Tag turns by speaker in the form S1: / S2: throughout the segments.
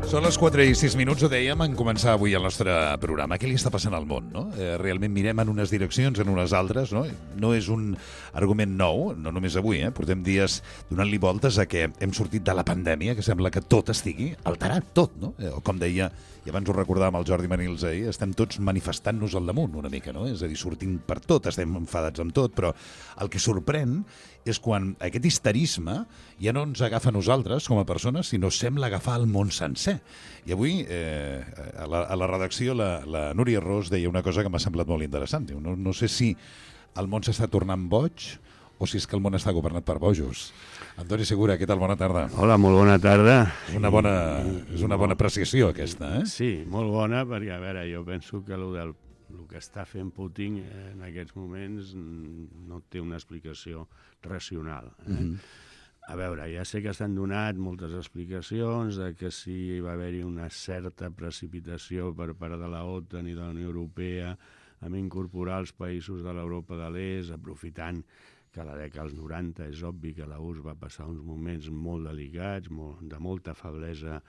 S1: Són les 4:06, ho dèiem en començar avui el nostre programa. Què li està passant al món, no? Realment mirem en unes direccions, en unes altres, no? No és un argument nou, no només avui, Portem dies donant-li voltes a que hem sortit de la pandèmia, que sembla que tot estigui alterat, tot, no? Com deia, i abans ho recordàvem el Jordi Manils ahir, estem tots manifestant-nos al damunt una mica, no? És a dir, sortint per tot, estem enfadats amb tot, però el que sorprèn és quan aquest histerisme ja no ens agafa a nosaltres com a persones, sinó sembla agafar el món sencer. I avui, a la redacció, la Núria Ros deia una cosa que m'ha semblat molt interessant. Diu, no sé si el món s'està tornant boig o si és que el món està governat per bojos. Antoni Segura, què tal? Bona tarda.
S2: Hola, molt bona tarda.
S1: És una bona apreciació, aquesta,
S2: Sí, molt bona, perquè, a veure, jo penso que el que està fent Putin en aquests moments no té una explicació racional. A veure, ja sé que s'han donat moltes explicacions de que sí va haver-hi una certa precipitació per part de la OTAN i de la Unió Europea en incorporar els països de l'Europa de l'Est, aprofitant que a la dècada dels 90 és obvi que la URSS va passar uns moments molt delicats, de molta feblesa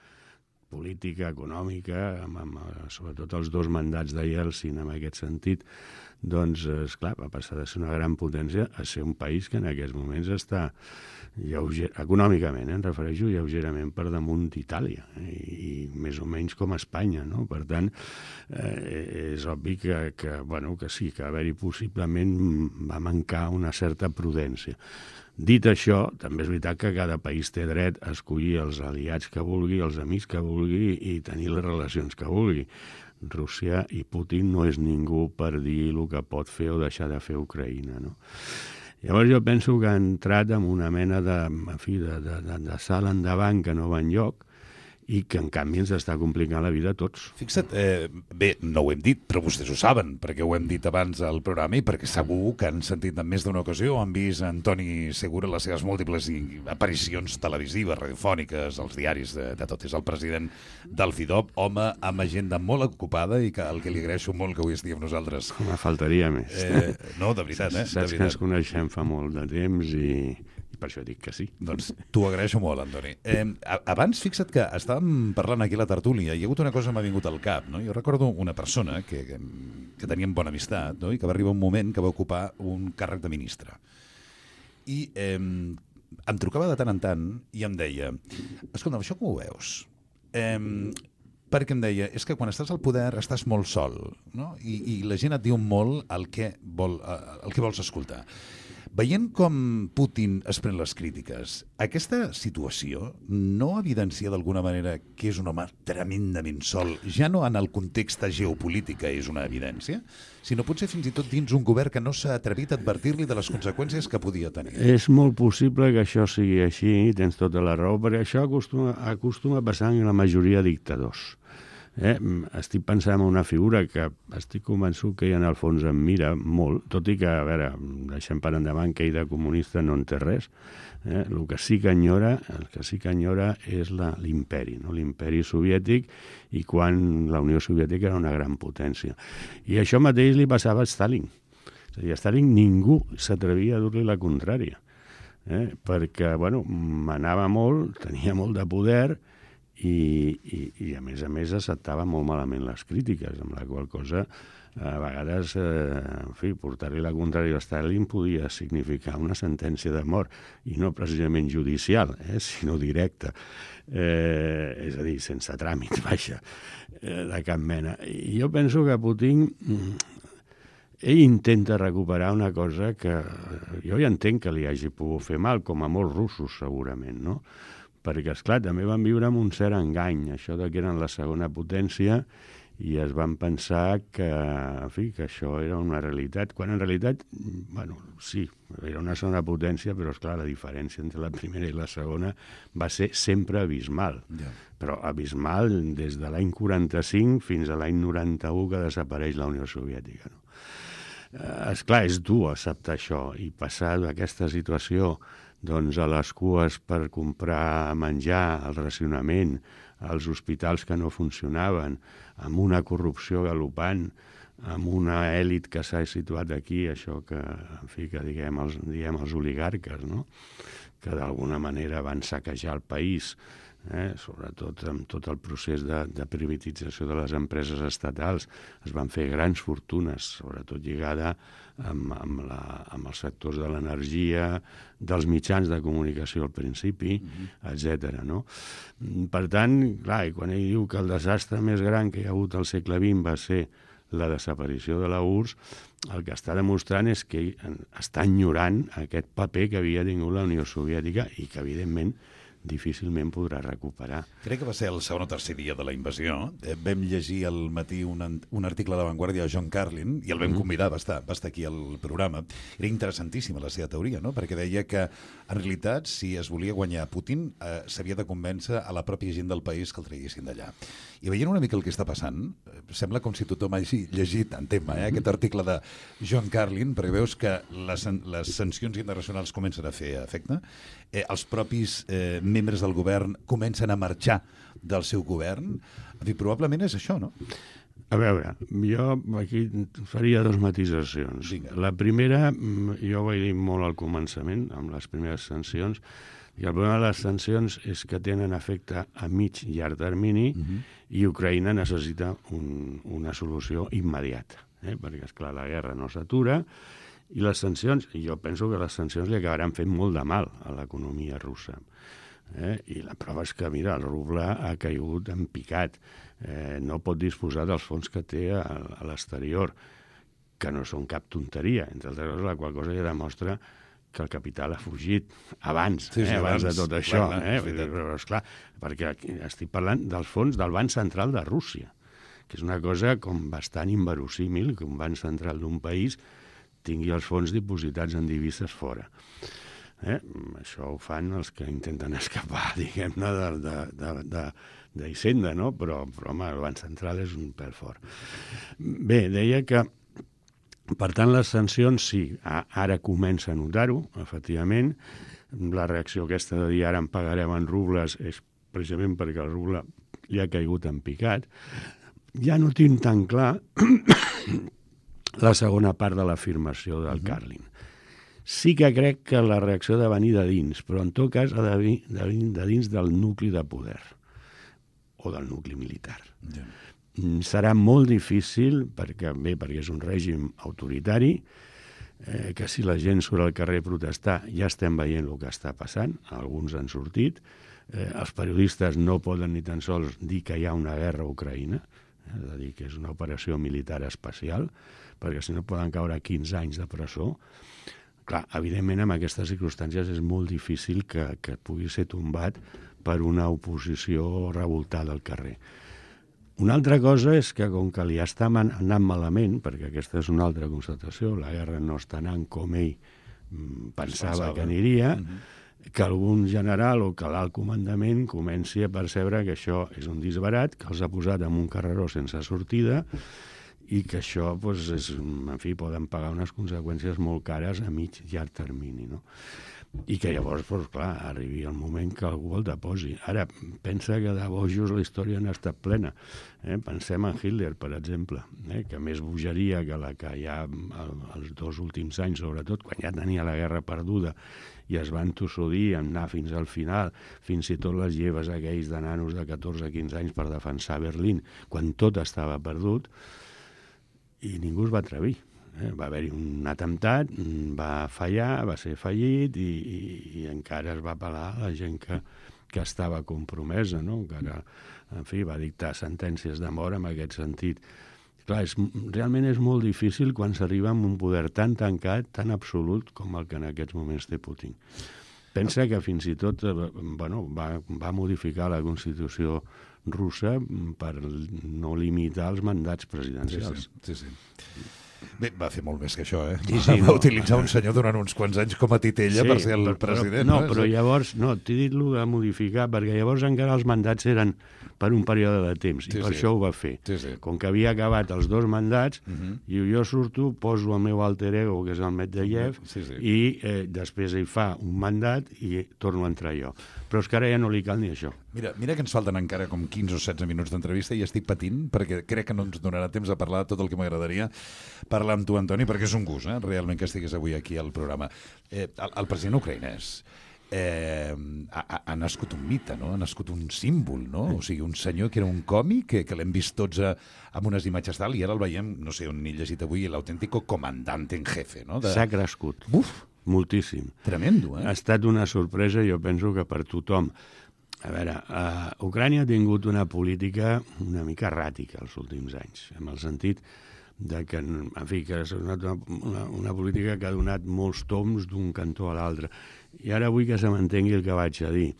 S2: política, econòmica, sobretot els dos mandats de Yeltsin en aquest sentit, doncs, esclar, va passar de ser una gran potència a ser un país que en aquests moments està econòmicament, em refereixo lleugerament per damunt d'Itàlia, i més o menys com Espanya, no? Per tant, és obvi que sí, que haver-hi possiblement va mancar una certa prudència. Dit això, també és veritat que cada país té dret a escollir els aliats que vulgui, els amics que vulgui i tenir les relacions que vulgui. Rússia i Putin no és ningú per dir el que pot fer o deixar de fer Ucraïna, no? Llavors jo penso que ha entrat en una mena de salt endavant que no va enlloc i que, en canvi, ens està complicant la vida a tots.
S1: Fixa't, bé, no ho hem dit, però vostès ho saben, perquè ho hem dit abans al programa i perquè segur que han sentit en més d'una ocasió, han vist Antoni Segura les seves múltiples aparicions televisives, radiofòniques, als diaris de tot. És el president del FIDOB, home amb agenda molt ocupada i que el que li agraeixo molt que avui estigui amb nosaltres.
S2: Me faltaria més.
S1: No, de veritat,
S2: Saps que ens coneixem fa molt de temps i per això dic que sí.
S1: Doncs t'ho agraeixo molt, Antoni. Abans, fixa't que estàvem parlant aquí a la tertúlia i hi ha hagut una cosa que m'ha vingut al cap, no? Jo recordo una persona que teníem bona amistat, no? I que va arribar un moment que va ocupar un càrrec de ministre. I em trucava de tant en tant i em deia, escolta, això com ho veus? Perquè em deia, és que quan estàs al poder estàs molt sol, no? I la gent et diu molt el que vols escoltar. Veient com Putin es pren les crítiques, aquesta situació no evidencia d'alguna manera que és un home tremendament sol, ja no en el context geopolític és una evidència, sinó potser fins i tot dins un govern que no s'ha atrevit a advertir-li de les conseqüències que podia tenir.
S2: És molt possible que això sigui així, tens tota la raó, perquè això acostuma a passar en la majoria de dictadors. Estic pensant en una figura que estic convençut que ell en el fons em mira molt, tot i que, a veure, deixem per endavant que ell de comunista no en té res. El que sí que enyora és l'imperi, no? L'imperi soviètic, i quan la Unió Soviètica era una gran potència. I això mateix li passava a Stalin. És a dir, a Stalin ningú s'atrevia a dur-li la contrària, perquè, manava molt, tenia molt de poder, i a més acceptava molt malament les crítiques, amb la qual cosa a vegades portar-li la contrària a Stalin podia significar una sentència de mort, i no precisament judicial, sinó directa, és a dir, sense tràmit, de cap mena. I jo penso que Putin ell intenta recuperar una cosa que jo ja entenc que li hagi pogut fer mal, com a molts russos segurament, no? Perquè, esclar, també van viure amb un cert engany, això de que eren la segona potència, i es van pensar que això era una realitat, quan en realitat, sí, era una segona potència, però, esclar, la diferència entre la primera i la segona va ser sempre abismal. Yeah. Però abismal des de l'any 45 fins a l'any 91, que desapareix la Unió Soviètica, no? Esclar, és dur acceptar això i passar d'aquesta situació a les cues per comprar menjar, el racionament, als hospitals que no funcionaven, amb una corrupció galopant, amb una èlit que s'ha situat aquí, això que, en fi, que diem els oligarques, no? Que d'alguna manera van saquejar el país, sobretot amb tot el procés de privatització de les empreses estatals. Es van fer grans fortunes, sobretot lligada amb els sectors de l'energia, dels mitjans de comunicació al principi, etc. No? Per tant, clar, i quan ell diu que el desastre més gran que hi ha hagut al segle XX va ser la desaparició de la URSS, el que està demostrant és que ell està enyorant aquest paper que havia tingut la Unió Soviètica i que, evidentment, difícilment podrà recuperar.
S1: Crec que va ser el segon o tercer dia de la invasió. Vam llegir al matí un article de La Vanguardia de John Carlin i el vam convidar, va estar aquí al programa. Era interessantíssima la seva teoria, no? Perquè deia que, en realitat, si es volia guanyar Putin, s'havia de convèncer a la pròpia gent del país que el traguessin d'allà. I veient una mica el que està passant, sembla com si tothom hagi llegit en tema aquest article de John Carlin, perquè veus que les sancions internacionals comencen a fer efecte, els propis membres del govern comencen a marxar del seu govern. En fi, probablement és això, no?
S2: A veure, jo aquí faria dues matisacions.
S1: Vinga.
S2: La primera, jo ho vaig dir molt al començament, amb les primeres sancions, i el problema de les sancions és que tenen efecte a mig i llarg termini i Ucraïna necessita una solució immediata, perquè, esclar, la guerra no s'atura i les sancions, jo penso que les sancions li acabaran fent molt de mal a l'economia russa. I la prova és que, mira, el ruble ha caigut en picat, no pot disposar dels fons que té a l'exterior, que no són cap tonteria, entre altres coses, la qual cosa ja demostra que el capital ha fugit abans, abans de tot això. Però, esclar, perquè estic parlant dels fons del Banc Central de Rússia, que és una cosa com bastant inverosímil que un banc central d'un país tingui els fons dipositats en divises fora. Això ho fan els que intenten escapar, diguem-ne, d'Hisenda, no? Però, home, el Banc Central és un pèl fort. Bé, deia que, per tant, les sancions, sí, ara comença a notar-ho, efectivament. La reacció aquesta de dir ara en pagarem en rubles és precisament perquè el ruble ja ha caigut en picat. Ja no tinc tan clar la segona part de l'afirmació del Carlin. Sí que crec que la reacció ha de venir de dins, però en tot cas ha de venir de dins del nucli de poder o del nucli militar.
S1: Ja.
S2: Serà molt difícil, perquè és un règim autoritari, que si la gent surt al carrer a protestar ja estem veient el que està passant, alguns han sortit, els periodistes no poden ni tan sols dir que hi ha una guerra a Ucraïna, és a dir, que és una operació militar especial, perquè si no poden caure 15 anys de presó. Clar, evidentment, en aquestes circumstàncies és molt difícil que pugui ser tombat per una oposició revoltada al carrer. Una altra cosa és que, com que li està anant malament, perquè aquesta és una altra constatació, la guerra no està anant com ell pensava que aniria, que algun general o que l'alt comandament comenci a percebre que això és un disbarat, que els ha posat en un carreró sense sortida i que això, en fi, poden pagar unes conseqüències molt cares a mig i llarg termini, no? I que llavors, clar, arribi el moment que algú el deposi. Ara, pensa que de bojos la història n'ha estat plena. Pensem en Hitler, per exemple, que més bogeria que la que hi ha els 2 últims anys, sobretot, quan ja tenia la guerra perduda i es van tossudir a anar fins al final, fins i tot les lleves aquells de nanos de 14-15 anys per defensar Berlín, quan tot estava perdut, i ningú es va atrevir. Va haver-hi un atemptat, va fallar, va ser fallit i encara es va apel·lar a la gent que estava compromesa, no? Encara, en fi, va dictar sentències de mort en aquest sentit. Clar, realment és molt difícil quan s'arriba amb un poder tan tancat, tan absolut com el que en aquests moments té Putin. Pensa que fins i tot va modificar la Constitució russa per no limitar els mandats presidencials.
S1: Sí. Bé, va fer molt més que això,
S2: Sí,
S1: va utilitzar un senyor durant uns quants anys com a titella per ser el president.
S2: Però llavors, t'he dit el de modificar, perquè llavors encara els mandats eren per un període de temps, i per això ho va fer. Com que havia acabat els 2 mandats, i jo surto, poso el meu alter ego, que és el Medvedev, i després ell fa un mandat i torno a entrar jo. Però és que ara ja no li cal ni això.
S1: Mira que ens falten encara com 15 o 16 minuts d'entrevista i estic patint perquè crec que no ens donarà temps a parlar de tot el que m'agradaria parlar amb tu, Antoni, perquè és un gust, realment, que estiguis avui aquí al programa. El president ucraïnès ha nascut un mite, no? Ha nascut un símbol, no? O sigui, un senyor que era un còmic, que l'hem vist tots amb unes imatges tal, i ara el veiem, no sé on n'he llegit avui, l'autèntico comandante en jefe, no?
S2: S'ha crescut. Moltíssim.
S1: Tremendo,
S2: Ha estat una sorpresa, jo penso que per tothom. A veure, Ucrània ha tingut una política una mica erràtica els últims anys, en el sentit de que, en fi, que és una política que ha donat molts toms d'un cantó a l'altre. I ara vull que se m'entengui el que vaig a dir.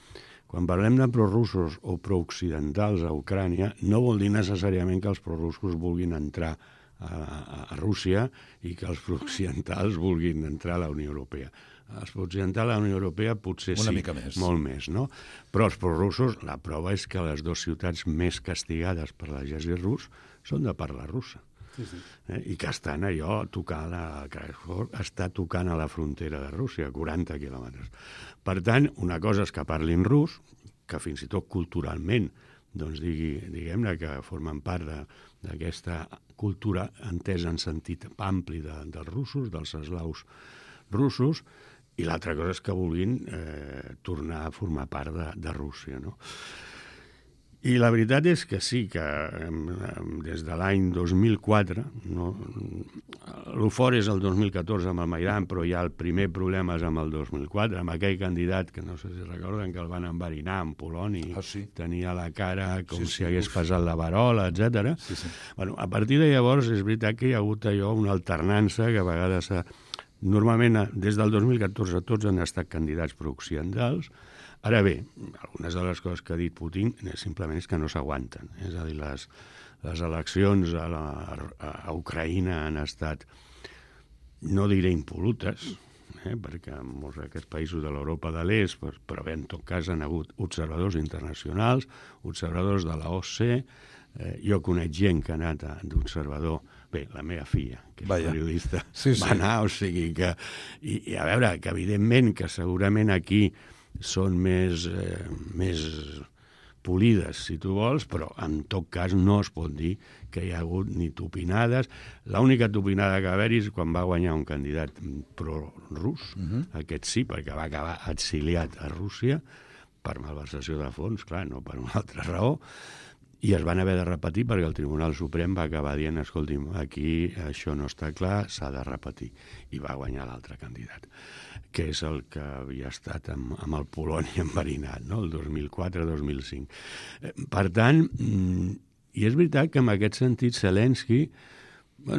S2: Quan parlem de prorussos o prooccidentals a Ucrània, no vol dir necessàriament que els prorussos vulguin entrar a Rússia i que els prooccidentals vulguin entrar a la Unió Europea. Els prooccidentals a la Unió Europea potser sí, molt més, no? Però els prorussos, la prova és que les 2 ciutats més castigades per l'exèrcit rus són de parla russa. I que estan allò tocant està tocant a la frontera de Rússia, 40 quilòmetres. Per tant, una cosa és que parlin rus, que fins i tot culturalment, doncs diguem-ne que formen part d'aquesta cultura entesa en sentit ampli dels russos, dels eslaus russos, i l'altra cosa és que vulguin tornar a formar part de Rússia, no? I la veritat és que sí, que des de l'any 2004, l'eufori és el 2014 amb el Maidan, però ja el primer problema és amb el 2004, amb aquell candidat que no sé si recorden que el van enverinar amb poloni, tenia la cara com si hagués passat la verola, etc. Bueno, a partir de llavors és veritat que hi ha hagut allò, una alternança que a vegades normalment des del 2014 tots han estat candidats prooccidentals. Ara bé, algunes de les coses que ha dit Putin simplement és que no s'aguanten. És a dir, les eleccions a Ucraïna han estat, no diré impolutes, perquè en molts d'aquests països de l'Europa de l'Est, però bé, en tot cas han hagut observadors internacionals, observadors de la OSCE, jo conec gent que ha anat d'observador, bé, la meva filla, que és periodista, va anar, o sigui que... I a veure, que evidentment que segurament aquí són més polides, si tu vols, però en tot cas no es pot dir que hi ha hagut ni tupinades. L'única tupinada que va haver-hi és quan va guanyar un candidat pro-rus, aquest sí, perquè va acabar exiliat a Rússia per malversació de fons, clar, no per una altra raó, i es van haver de repetir perquè el Tribunal Suprem va acabar dient, escolti'm, aquí això no està clar, s'ha de repetir. I va guanyar l'altre candidat, que és el que havia estat amb el poloni enverinat, no? El 2004-2005. Per tant, i és veritat que en aquest sentit Zelensky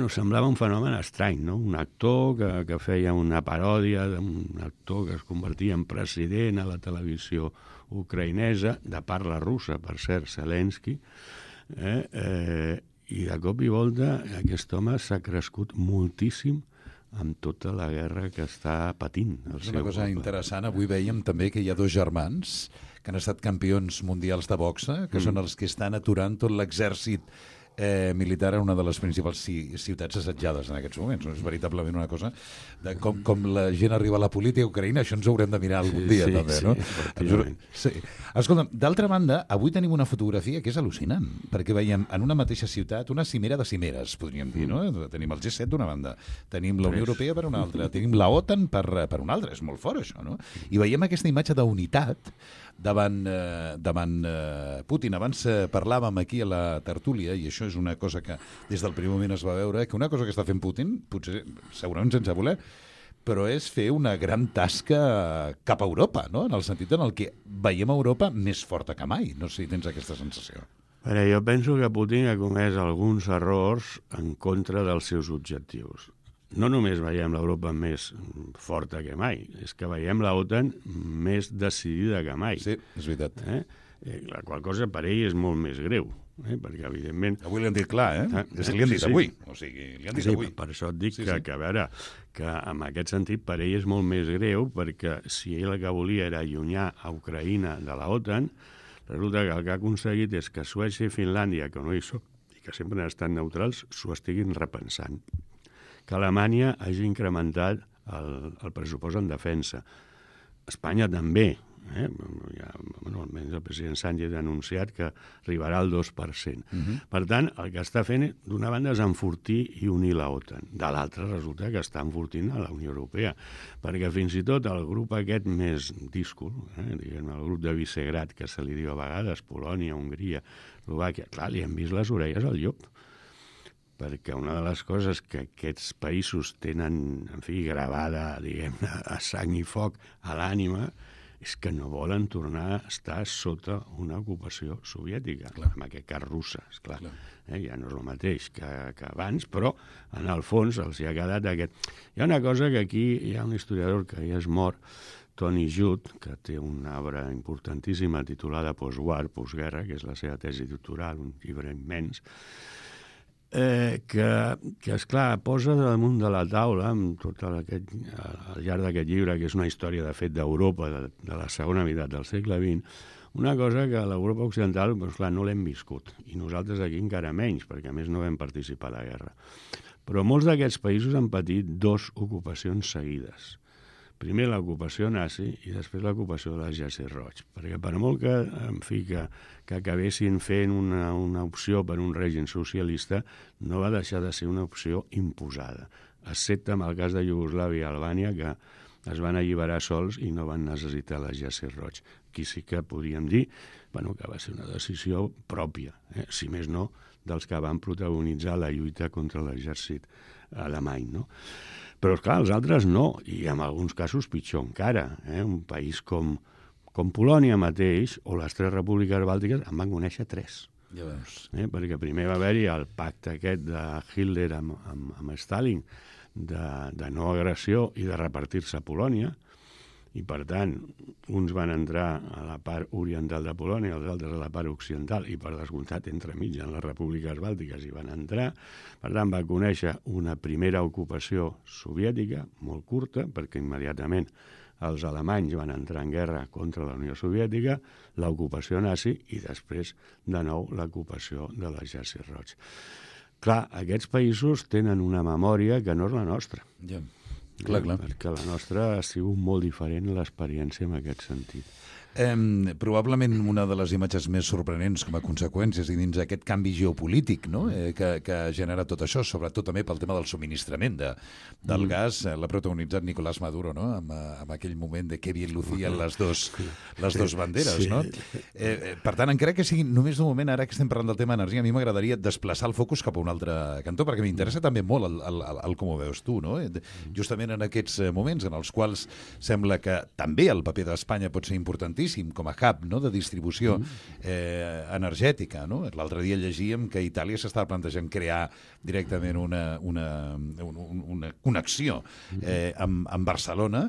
S2: semblava un fenomen estrany, no? Un actor que feia una paròdia d'un actor que es convertia en president a la televisió ucraïnesa, de parla russa, per cert, Zelensky, i de cop i volta aquest home s'ha crescut moltíssim amb tota la guerra que està patint.
S1: És una cosa interessant. Avui veiem també que hi ha 2 germans que han estat campions mundials de boxa, que són els que estan aturant tot l'exèrcit militar en una de les principals ciutats assetjades en aquests moments. És veritablement una cosa de com la gent arriba a la política ucraïna, això ens ho haurem de mirar algun dia, també, no? Sí. Escolta'm, d'altra banda, avui tenim una fotografia que és al·lucinant, perquè veiem en una mateixa ciutat una cimera de cimeres, podríem dir, no? Tenim el G7 d'una banda, tenim la Unió Europea per una altra, tenim la OTAN per una altra, és molt fort això, no? I veiem aquesta imatge d'unitat davant Putin. Abans parlàvem aquí a la tertúlia, i això és una cosa que des del primer moment es va veure, que una cosa que està fent Putin, potser segurament sense voler, però és fer una gran tasca cap a Europa, no? En el sentit en el que veiem Europa més forta que mai. No sé si tens aquesta sensació.
S2: Jo penso que Putin ha comès alguns errors en contra dels seus objectius. No només veiem l'Europa més forta que mai, és que veiem l'OTAN més decidida que mai.
S1: Sí, és veritat.
S2: La qual cosa per ell és molt més greu. perquè, evidentment...
S1: Avui li han dit clar, És que li han dit avui. O sigui, li han dit avui.
S2: Per això et dic que, a veure, que en aquest sentit per ell és molt més greu, perquè si ell el que volia era allunyar a Ucraïna de la OTAN, resulta que el que ha aconseguit és que Suècia i Finlàndia, que no hi són, i que sempre han estat neutrals, s'ho estiguin repensant. Que Alemanya hagi incrementat el pressupost en defensa. Espanya també. Almenys el president Sánchez ha anunciat que arribarà al 2%. Per tant, el que està fent, d'una banda, és enfortir i unir la OTAN. De l'altra, resulta que està enfortint a la Unió Europea. Perquè fins i tot el grup aquest més díscol, diguem, el grup de Visegrad, que se li diu a vegades, Polònia, Hongria, Eslovàquia, clar, li han vist les orelles al llop. Perquè una de les coses que aquests països tenen, en fi, gravada, diguem, a sang i foc a l'ànima, és que no volen tornar a estar sota una ocupació soviètica, en aquest cas russa, esclar. Ja no és el mateix que abans, però en el fons els hi ha quedat aquest... Hi ha una cosa que aquí hi ha un historiador que ja és mort, Tony Judt, que té una obra importantíssima titulada Postwar, postguerra, que és la seva tesi doctoral, un llibre immens, que esclar, posa damunt de la taula, amb tot al llarg d'aquest llibre, que és una història, de fet, d'Europa, de la segona meitat del segle XX, una cosa que a l'Europa occidental, doncs, clar, no l'hem viscut, i nosaltres aquí encara menys, perquè a més no vam participar a la guerra. Però molts d'aquests països han patit 2 ocupacions seguides. Primer l'ocupació nazi i després l'ocupació de l'exèrcit roig. Perquè per molt que, en fi, que acabessin fent una opció per un règim socialista, no va deixar de ser una opció imposada, excepte en el cas de Iugoslàvia i Albània, que es van alliberar sols i no van necessitar l'exèrcit roig. Aquí sí que podríem dir que va ser una decisió pròpia, si més no, dels que van protagonitzar la lluita contra l'exèrcit alemany, no? Però, esclar, els altres no, i en alguns casos pitjor encara. Un país com Polònia mateix, o les 3 repúbliques bàltiques, en van conèixer 3.
S1: Ja veus.
S2: Perquè primer va haver-hi el pacte aquest de Hitler amb Stalin de no agressió i de repartir-se a Polònia, i per tant uns van entrar a la part oriental de Polònia, els altres a la part occidental, i per descomptat entremig en les repúbliques bàltiques hi van entrar. Per tant va conèixer una primera ocupació soviètica molt curta, perquè immediatament els alemanys van entrar en guerra contra la Unió Soviètica, l'ocupació nazi i després de nou l'ocupació de l'exèrcit roig. Clar, aquests països tenen una memòria que no és la nostra.
S1: Ja. Clar.
S2: Perquè la nostra ha sigut molt diferent l'experiència en aquest sentit.
S1: Probablement una de les imatges més sorprenents com a conseqüències i dins aquest canvi geopolític, no? Que ha generat tot això, sobretot també pel tema del subministrament del gas, l'ha protagonitzat Nicolás Maduro, no? Amb aquell moment de que bien lucien les dos banderes, sí. No? Per tant, encara que sigui només d'un moment, ara que estem parlant del tema energia, a mi m'agradaria desplaçar el focus cap a un altre cantó, perquè m'interessa també molt el com ho veus tu, no? Justament en aquests moments en els quals sembla que també el paper d'Espanya pot ser importantíssim com a hub, no?, de distribució energètica. No? L'altre dia llegíem que Itàlia s'estava plantejant crear directament una connexió amb Barcelona.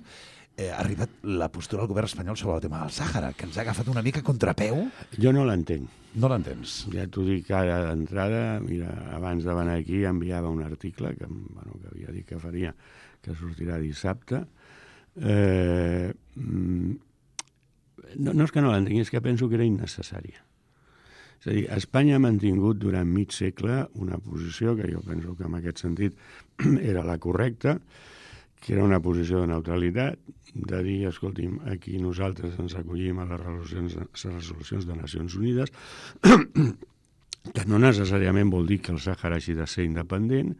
S1: Ha arribat la postura del govern espanyol sobre el tema del Sàhara, que ens ha agafat una mica a contrapeu.
S2: Jo no l'entenc.
S1: No l'entens?
S2: Ja t'ho dic ara d'entrada. Mira, abans de venir aquí enviava un article que havia dit que faria, que sortirà dissabte. No és que no l'entenc, és que penso que era innecessària. És a dir, Espanya ha mantingut durant mig segle una posició que jo penso que en aquest sentit era la correcta, que era una posició de neutralitat, de dir, escolti'm, aquí nosaltres ens acollim a les resolucions de Nacions Unides, que no necessàriament vol dir que el Sàhara hagi de ser independent,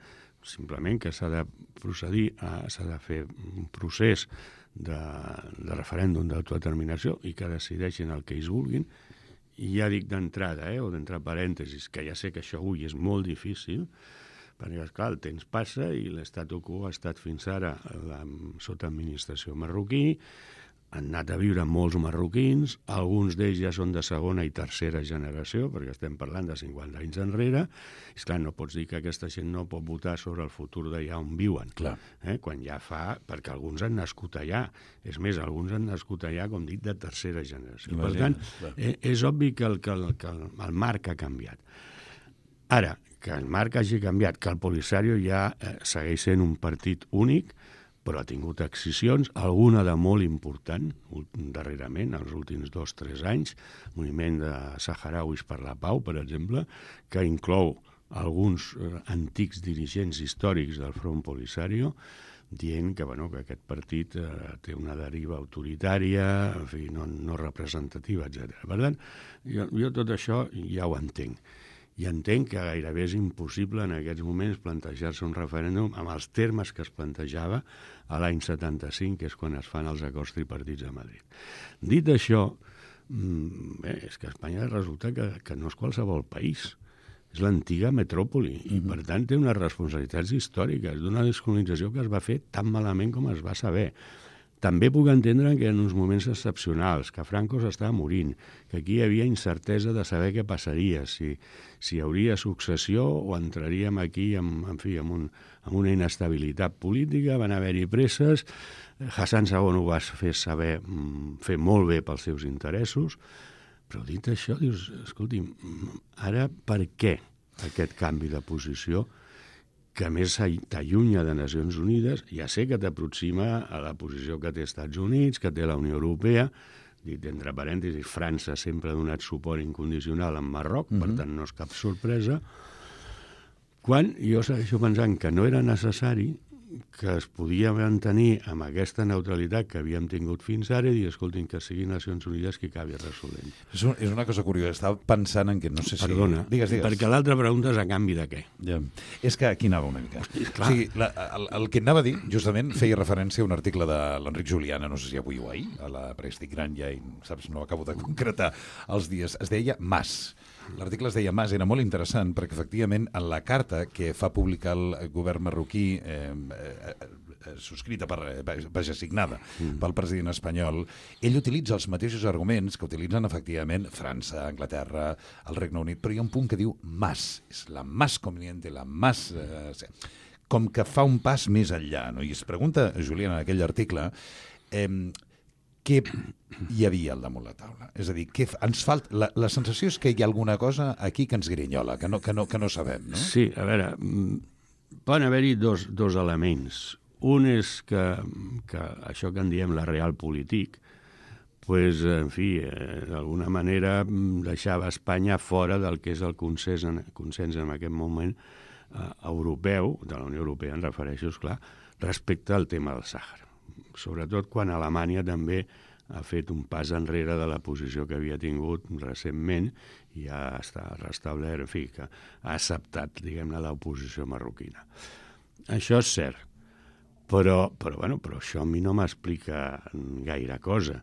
S2: simplement que s'ha de procedir, s'ha de fer un procés de referèndum d'autodeterminació i que decideixin el que ells vulguin. I ja dic d'entrada, o d'entre parèntesis, que ja sé que això avui és molt difícil, perquè, esclar, el temps passa i l'statu quo ha estat fins ara sota administració marroquí, han anat a viure molts marroquins, alguns d'ells ja són de segona i tercera generació, perquè estem parlant de 50 anys enrere. És clar, no pots dir que aquesta gent no pot votar sobre el futur d'allà on viuen.
S1: Clar.
S2: Quan ja fa... Perquè alguns han nascut allà. És més, alguns han nascut allà, com dic, de tercera generació.
S1: Imagina,
S2: per tant, és obvi que el marc ha canviat. Ara, que el marc hagi canviat, que el Polisario ja segueix sent un partit únic, però ha tingut excisions, alguna de molt important, darrerament, els últims 2-3 anys, moviment de saharauis per la pau, per exemple, que inclou alguns antics dirigents històrics del Front Polisario, dient que, que aquest partit té una deriva autoritària, en fi, no representativa, etc. Per tant, jo tot això ja ho entenc. I entenc que gairebé és impossible en aquests moments plantejar-se un referèndum amb els termes que es plantejava a l'any 75, que és quan es fan els acords tripartits a Madrid. Dit això, és que Espanya resulta que no és qualsevol país. És l'antiga metròpoli i, per tant, té unes responsabilitats històriques d'una descolonització que es va fer tan malament com es va saber. També puc entendre que en uns moments excepcionals, que Franco s'estava morint, que aquí hi havia incertesa de saber què passaria, si hi hauria successió o entraríem aquí amb una inestabilitat política, van haver-hi presses, Hassan II ho va fer molt bé pels seus interessos, però dit això, dius, escolti'm, ara per què aquest canvi de posició que més t'allunya de Nacions Unides, ja sé que t'aproxima a la posició que té Estats Units, que té la Unió Europea, dit entre parèntesis, França sempre ha donat suport incondicional a Marroc, per tant no és cap sorpresa, quan jo segueixo pensant que no era necessari, que es podia mantenir amb aquesta neutralitat que havíem tingut fins ara i dir, escoltin, que siguin Nacions Unides qui acabi resolent.
S1: És una cosa curiosa. Estava pensant en que no sé si...
S2: Perdona,
S1: digues.
S2: Perquè l'altra pregunta és a canvi de què?
S1: Ja. És que aquí anava una mica.
S2: Clar.
S1: O sigui, el que anava a dir, justament, feia referència a un article de l'Enric Juliana, no sé si avui o ahir, a la premsa estic gran ja, i, saps, no acabo de concretar els dies. Es deia Mas. L'article es deia Mas, era molt interessant perquè efectivament en la carta que fa publicar el govern marroquí subscrita signada pel president espanyol, ell utilitza els mateixos arguments que utilitzen efectivament França, Anglaterra, el Regne Unit, però hi ha un punt que diu Mas, és la más conveniente, la más... com que fa un pas més enllà, no? I es pregunta, Julián, en aquell article, què hi havia al damunt la taula? És a dir, ens falta... La sensació és que hi ha alguna cosa aquí que ens grinyola, que no sabem, no?
S2: Sí, a veure, poden haver-hi dos elements. Un és que això que en diem la realpolitik, pues, en fi, d'alguna manera deixava Espanya fora del que és el consens en aquest moment europeu, de la Unió Europea en refereixo, esclar, respecte al tema del Sàhara. Sobretot quan Alemanya també ha fet un pas enrere de la posició que havia tingut recentment i ja està restablert, en fi, que ha acceptat, diguem-ne, l'oposició marroquina. Això és cert, però això a mi no m'explica gaire cosa,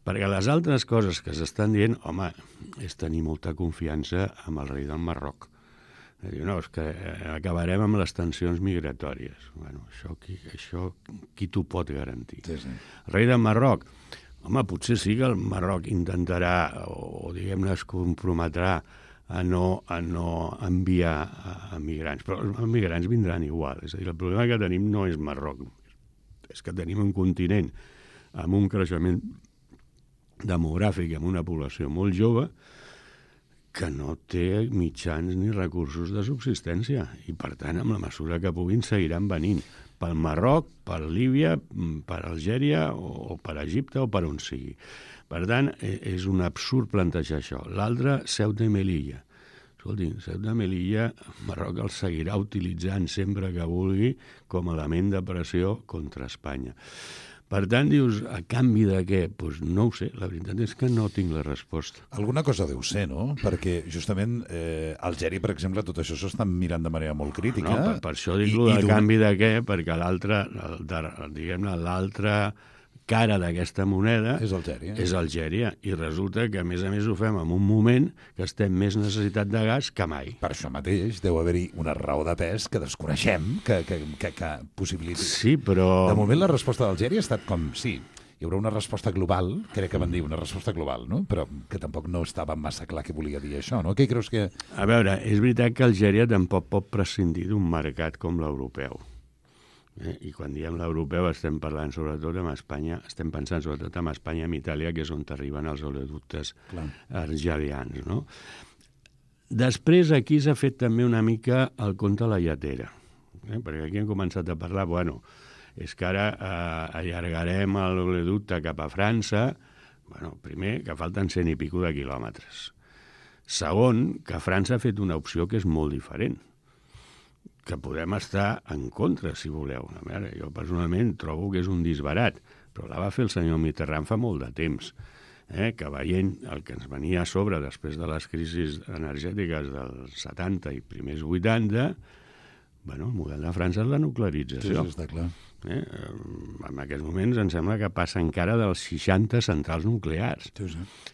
S2: perquè les altres coses que s'estan dient, home, és tenir molta confiança amb el rei del Marroc. Diu, no, és que acabarem amb les tensions migratòries. Bueno, això qui t'ho pot garantir? Sí. El rei del Marroc, home, potser sí que el Marroc intentarà, o diguem-ne, es comprometrà a no enviar a migrants, però els migrants vindran igual. És a dir, el problema que tenim no és Marroc, és que tenim un continent amb un creixement demogràfic, amb una població molt jove, que no té mitjans ni recursos de subsistència i, per tant, amb la mesura que puguin, seguiran venint pel Marroc, per Líbia, per Algèria o per Egipte o per on sigui. Per tant, és un absurd plantejar això. L'altre, Ceuta i Melilla. Escolti, Ceuta i Melilla, Marroc el seguirà utilitzant sempre que vulgui com a element de pressió contra Espanya. Per tant, dius, a canvi de què? Doncs no ho sé, la veritat és que no tinc la resposta.
S1: Alguna cosa deu ser, no? Perquè justament Algèria, per exemple, tot això s'ho estan mirant de manera molt crítica.
S2: No, per això dic a canvi de què? Perquè l'altra, diguem-ne, l'altra cara d'aquesta moneda
S1: és Algèria.
S2: I resulta que, a més ho fem en un moment que estem més necessitat de gas que mai.
S1: Per això mateix deu haver-hi una raó de pes que desconeixem, que possibiliti...
S2: Sí, però...
S1: De moment la resposta d'Algèria ha estat com sí. hi haurà una resposta global, crec que van dir una resposta global, no? Però que tampoc no estava massa clar què volia dir això, no? Què creus que...
S2: A veure, és veritat que Algèria tampoc pot prescindir d'un mercat com l'europeu. I quan diem l'europeu estem parlant sobretot amb Espanya, estem pensant sobretot amb Espanya i amb Itàlia, que és on arriben els oleoductes argelians, no? Després aquí s'ha fet també una mica el conte a la lletera, perquè aquí hem començat a parlar, és que ara allargarem l'oleoducte cap a França, primer, que falten 100 i pico de quilòmetres. Segon, que França ha fet una opció que és molt diferent, que podem estar en contra, si voleu. A veure, jo personalment trobo que és un disbarat, però la va fer el senyor Mitterrand fa molt de temps, que veient el que ens venia a sobre després de les crisis energètiques dels 70 i primers 80, el model de França és la nuclearització.
S1: Sí, està clar.
S2: En aquests moments em sembla que passa encara dels 60 centrals nuclears.
S1: Sí.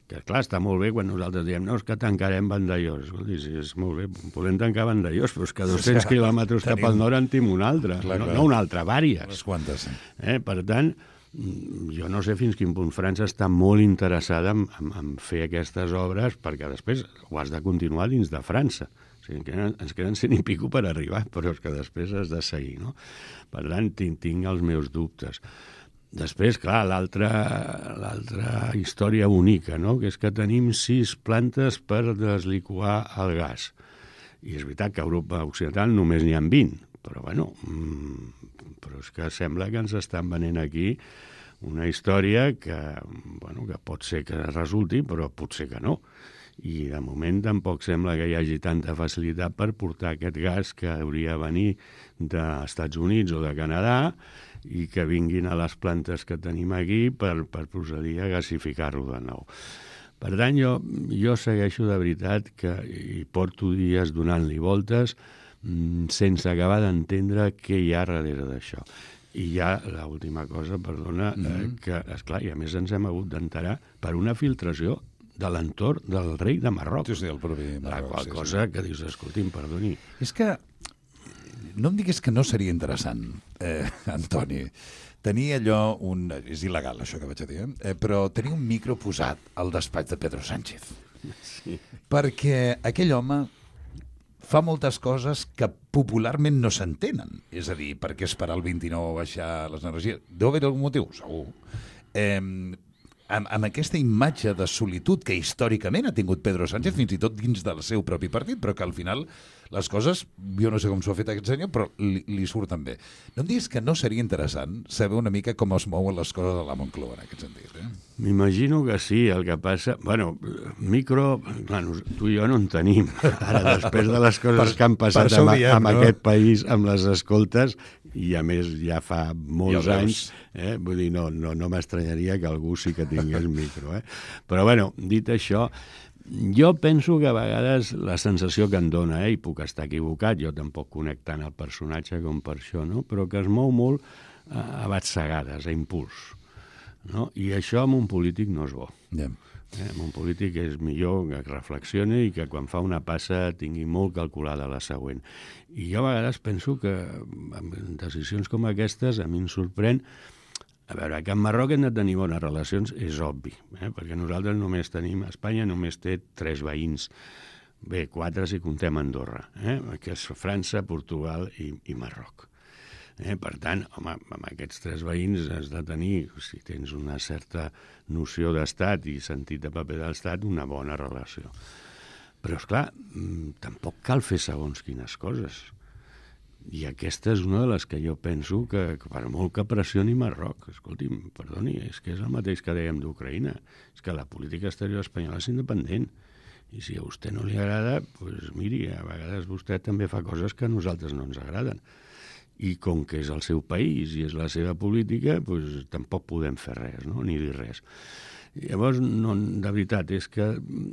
S2: Que, clar, està molt bé quan nosaltres diem no, és que tancarem Vandellòs. Escolti, sí, és molt bé, podem tancar Vandellòs, però és que 200 quilòmetres cap al nord en tenim una altra. No una altra, vàries.
S1: Les quantes, sí.
S2: Per tant, jo no sé fins quin punt França està molt interessada en fer aquestes obres perquè després ho has de continuar dins de França. O sigui, ens queden 100 i pico per arribar, però és que després has de seguir, no? Per tant, tinc els meus dubtes. Després, clar, l'altra història única, no? Que és que tenim 6 plantes per desliquar el gas. I és veritat que a Europa Occidental només n'hi ha 20, però però és que sembla que ens estan venent aquí una història que pot ser que resulti, però potser que no. I de moment tampoc sembla que hi hagi tanta facilitat per portar aquest gas que hauria de venir dels Estats Units o de Canadà i que vinguin a les plantes que tenim aquí per procedir a gasificar-lo de nou. Per tant, jo segueixo de veritat que hi porto dies donant-li voltes sense acabar d'entendre què hi ha darrere d'això. I hi ha l'última cosa, perdona, que, esclar, i a més ens hem hagut d'enterar per una filtració de l'entorn del rei de Marroc.
S1: Sí, el propi Marroc.
S2: La qual cosa que dius, escolti'm, perdoni.
S1: És que no em diguis que no seria interessant, Antoni, tenir allò, és il·legal això que vaig a dir, però tenir un micro posat al despatx de Pedro Sánchez.
S2: Sí.
S1: Perquè aquell home fa moltes coses que popularment no s'entenen. És a dir, per què esperar el 29 a baixar les energies? Deu haver algun motiu, segur. Amb aquesta imatge de solitud que històricament ha tingut Pedro Sánchez, fins i tot dins del seu propi partit, però que al final les coses, jo no sé com s'ho ha fet aquest senyor, però li surten bé. No em diguis que no seria interessant saber una mica com es mouen les coses a la Moncloa en aquest sentit,
S2: M'imagino que sí, el que passa... Micro, clar, tu i jo no en tenim. Ara, després de les coses que han passat amb aquest país, amb les escoltes, i a més ja fa molts anys, vull dir, no m'estranyaria que algú sí que tingués micro. Però, dit això, jo penso que a vegades la sensació que em dona, i puc estar equivocat, jo tampoc conec tant el personatge com per això, no? Però que es mou molt a batzegades, a impuls. No? I això amb un polític no és bo. Amb un polític és millor que reflexioni i que quan fa una passa tingui molt calculada la següent. I jo a vegades penso que amb decisions com aquestes a mi em sorprèn. A veure, que amb Marroc hem de tenir bones relacions és obvi, perquè nosaltres només tenim, Espanya només té 3 veïns, 4 si comptem Andorra, que és França, Portugal i Marroc. Per tant, home, amb aquests 3 veïns has de tenir, si tens una certa noció d'estat i sentit de paper de l'estat, una bona relació. Però, esclar, tampoc cal fer segons quines coses. I aquesta és una de les que jo penso que per molt que pressioni Marroc, escolti'm, perdoni, és que és el mateix que dèiem d'Ucraïna, és que la política exterior espanyola és independent. I si a vostè no li agrada, doncs miri, a vegades vostè també fa coses que a nosaltres no ens agraden. I com que és el seu país i és la seva política, doncs tampoc podem fer res, no? Ni dir res. Llavors, de veritat, és que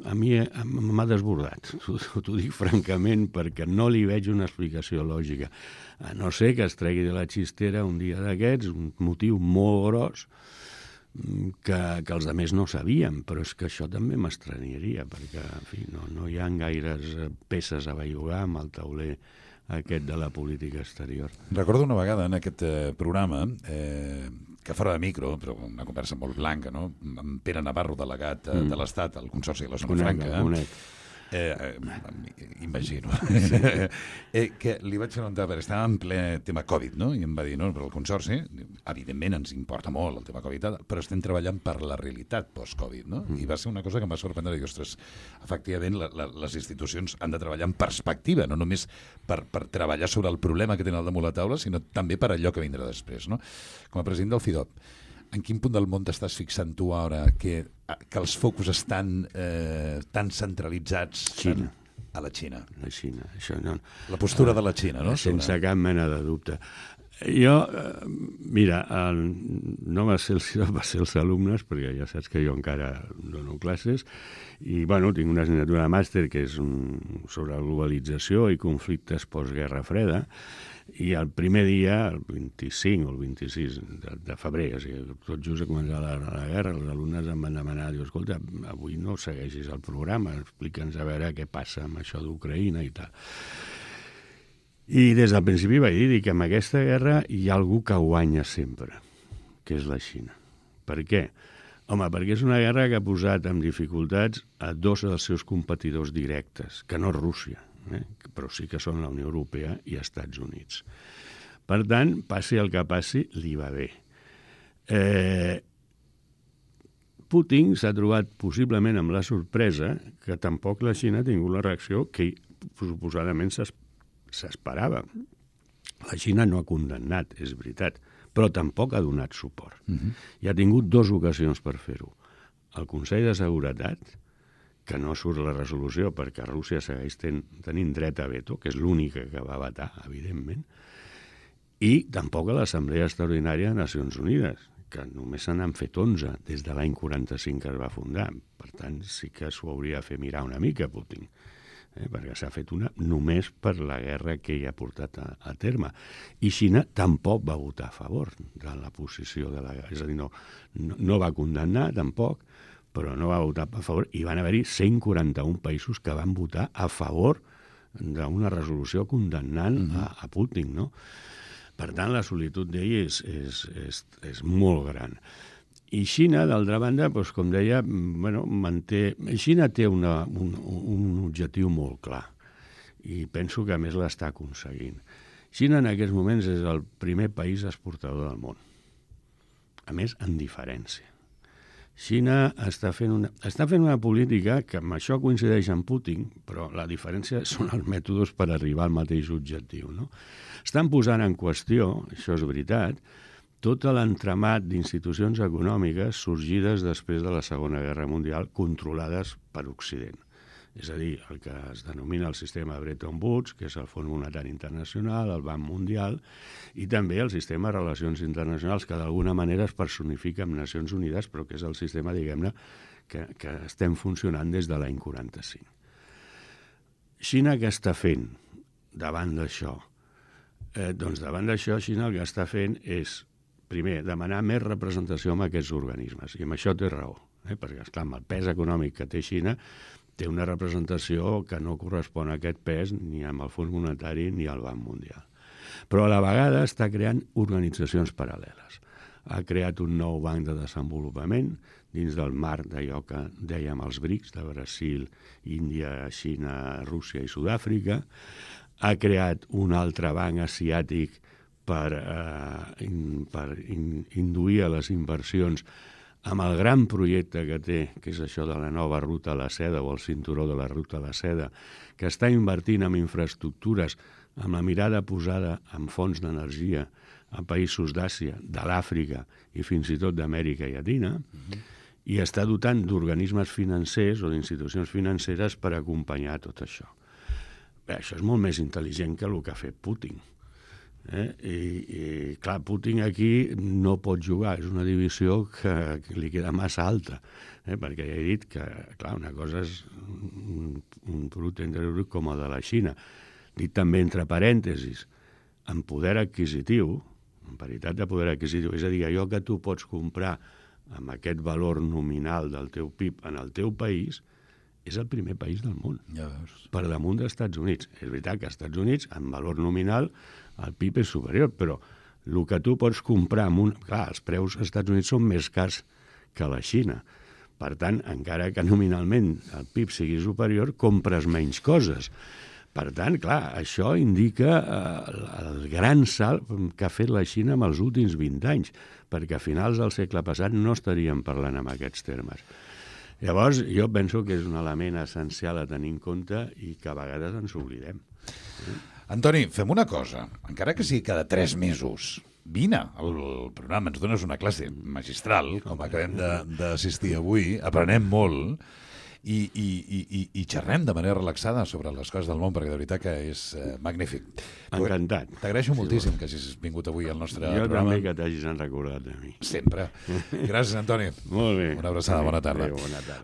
S2: a mi m'ha desbordat, t'ho dic francament, perquè no li veig una explicació lògica. A no ser que es tregui de la xistera un dia d'aquests, un motiu molt gros, que els altres no sabien, però és que això també m'estranyaria, perquè, en fi, no hi ha gaires peces a bellugar amb el tauler aquest de la política exterior.
S1: Recordo una vegada en aquest programa, que fora de micro, però una conversa molt blanca, no? Amb Pere Navarro, delegat de l'Estat al Consorci de la Zona Franca. Imagino. Que li vaig preguntar, perquè estava en ple tema Covid, no? I em va dir, no, però el Consorci, evidentment ens importa molt el tema Covid, però estem treballant per la realitat post-Covid, no? I va ser una cosa que em va sorprendre, i ostres, efectivament, les institucions han de treballar en perspectiva, no només per treballar sobre el problema que tenen al damunt la taula, sinó també per allò que vindrà després, no? Com a president del FIDOP, en quin punt del món t'estàs fixant tu ara que els focus estan tan centralitzats a la Xina?
S2: La Xina, això no.
S1: La postura de la Xina, no?
S2: Sense cap mena de dubte. Jo, mira, no va ser els alumnes, perquè ja saps que jo encara dono classes, i, bueno, tinc una assignatura de màster que és sobre globalització i conflictes postguerra freda, i el primer dia, el 25 o el 26 de febrer, o sigui, tot just a començar la guerra, els alumnes em van demanar, diu, escolta, avui no segueixis el programa, explica'ns a veure què passa amb això d'Ucraïna i tal. I des del principi vaig dir que amb aquesta guerra hi ha algú que guanya sempre, que és la Xina. Per què? Home, perquè és una guerra que ha posat en dificultats a dos dels seus competidors directes, que no és Rússia, però sí que són la Unió Europea i Estats Units. Per tant, passi el que passi, li va bé. Putin s'ha trobat possiblement amb la sorpresa que tampoc la Xina ha tingut la reacció que suposadament s'esperava. La Xina no ha condemnat, és veritat, però tampoc ha donat suport. I ha tingut dues ocasions per fer-ho. El Consell de Seguretat, que no surt la resolució perquè Rússia segueix tenint dret a veto, que és l'única que va vetar, evidentment, i tampoc a l'Assemblea Extraordinària de Nacions Unides, que només se n'han fet 11 des de l'any 45 que es va fundar. Per tant, sí que s'ho hauria de fer mirar una mica, Putin, perquè s'ha fet una només per la guerra que ell ha portat a terme. I Xina tampoc va votar a favor de la posició de la guerra. És a dir, no va condemnar, tampoc, però no va votar a favor, i van haver-hi 141 països que van votar a favor d'una resolució condemnant a Putin, no? Per tant, la solitud d'ell és molt gran. I Xina, d'altra banda, doncs, com deia, Xina té un objectiu molt clar, i penso que a més l'està aconseguint. Xina en aquests moments és el primer país exportador del món, a més, en diferència. Xina està fent una política que amb això coincideix amb Putin, però la diferència són els mètodes per arribar al mateix objectiu, no? Estan posant en qüestió, això és veritat, tot l'entramat d'institucions econòmiques sorgides després de la Segona Guerra Mundial controlades per Occident. És a dir, el que es denomina el sistema Bretton Woods, que és el Fons Monetari Internacional, el Banc Mundial, i també el sistema de relacions internacionals, que d'alguna manera es personifica amb Nacions Unides, però que és el sistema, diguem-ne, que estem funcionant des de l'any 45. Xina què està fent davant d'això? Doncs davant d'això, Xina el que està fent és, primer, demanar més representació amb aquests organismes, i amb això té raó, perquè, esclar, amb el pes econòmic que té Xina, té una representació que no correspon a aquest pes ni amb el Fons Monetari ni al Banc Mundial. Però a la vegada està creant organitzacions paral·leles. Ha creat un nou banc de desenvolupament dins del marc d'allò que dèiem els BRICS, de Brasil, Índia, Xina, Rússia i Sud-àfrica. Ha creat un altre banc asiàtic per induir a les inversions amb el gran projecte que té, que és això de la nova ruta a la seda o el cinturó de la ruta a la seda, que està invertint en infraestructures amb la mirada posada en fonts d'energia a països d'Àsia, de l'Àfrica i fins i tot d'Amèrica Llatina, i està dotant d'organismes financers o d'institucions financeres per acompanyar tot això. Bé, això és molt més intel·ligent que el que ha fet Putin. I clar, Putin aquí no pot jugar, és una divisió que li queda massa alta, perquè ja he dit que, clar, una cosa és un producte interior brut com el de la Xina, dit també entre parèntesis, en poder adquisitiu, en paritat de poder adquisitiu, és a dir, allò que tu pots comprar amb aquest valor nominal del teu PIB en el teu país, és el primer país del món,
S1: Ja veus.
S2: per damunt dels Estats Units. És veritat que als Estats Units, en valor nominal, el PIB és superior, però el que tu pots comprar amb Clar, els preus als Estats Units són més cars que a la Xina. Per tant, encara que nominalment el PIB sigui superior, compres menys coses. Per tant, clar, això indica el gran salt que ha fet la Xina en els últims 20 anys, perquè a finals del segle passat no estaríem parlant en aquests termes. Llavors, jo penso que és un element essencial a tenir en compte i que a vegades ens oblidem.
S1: Antoni, fem una cosa. Encara que sigui cada 3 mesos, vine al programa, ens dones una classe magistral, com acabem d'assistir avui, aprenem molt, i xerrem de manera relaxada sobre les coses del món, perquè de veritat que és magnífic.
S2: Encantat.
S1: T'agraeixo moltíssim que hagis vingut avui al nostre
S2: Jo
S1: programa.
S2: també que t'hagis recordat de mi.
S1: Sempre. Gràcies, Antoni.
S2: Molt bé.
S1: Una abraçada, bona tarda.
S2: Adéu, bona tarda.